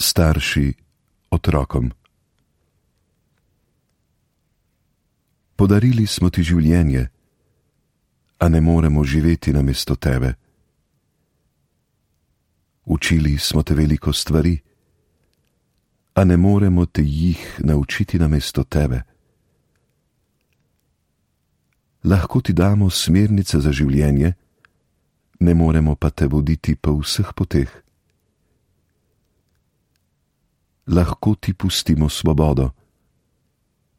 starši otrokom. Podarili smo ti življenje, a ne moremo živeti namesto tebe. Učili smo te veliko stvari, a ne moremo te jih naučiti namesto tebe. Lahko ti damo smernice za življenje, ne moremo pa te voditi po vseh poteh. Lahko ti pustimo svobodo,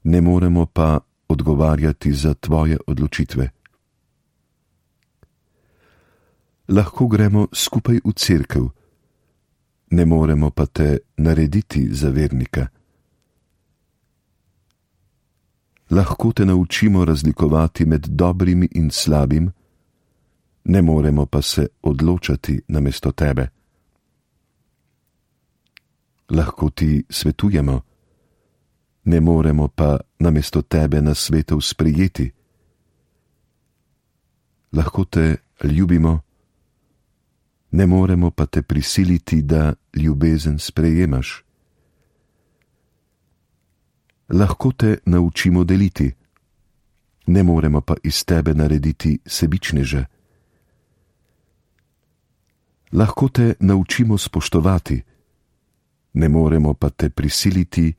ne moremo pa odgovarjati za tvoje odločitve. Lahko gremo skupaj v cerkev, ne moremo pa te narediti za vernika. Lahko te naučimo razlikovati med dobrimi in slabim, ne moremo pa se odločati namesto tebe. Lahko ti svetujemo, ne moremo pa namesto tebe nasvetov sprejeti. Lahko te ljubimo, ne moremo pa te prisiliti, da ljubezen sprejemaš. Lahko te naučimo deliti, ne moremo pa iz tebe narediti sebičneža. Lahko te naučimo spoštovati, ne moremo pa te prisiliti,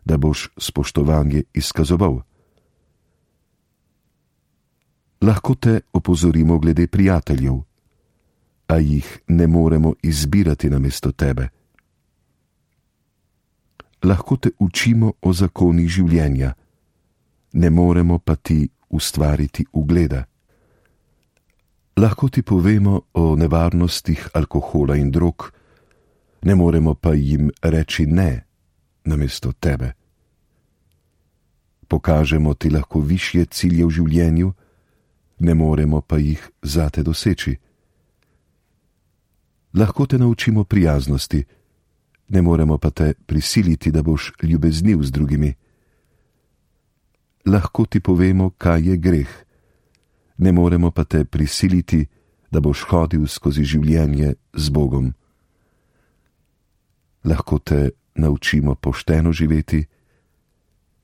da boš spoštovanje izkazoval. Lahko te opozorimo glede prijateljev, a jih ne moremo izbirati namesto tebe. Lahko te učimo o zakonih življenja, ne moremo pa ti ustvariti ugleda. Lahko ti povemo o nevarnostih alkohola in drog, ne moremo pa jim reči ne namesto tebe. Pokažemo ti lahko višje cilje v življenju, ne moremo pa jih zate doseči. Lahko te naučimo prijaznosti, ne moremo pa te prisiliti, da boš ljubezniv z drugimi. Lahko ti povemo, kaj je greh, ne moremo pa te prisiliti, da boš hodil skozi življenje z Bogom. Lahko te naučimo pošteno živeti,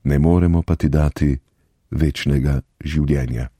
ne moremo pa ti dati večnega življenja.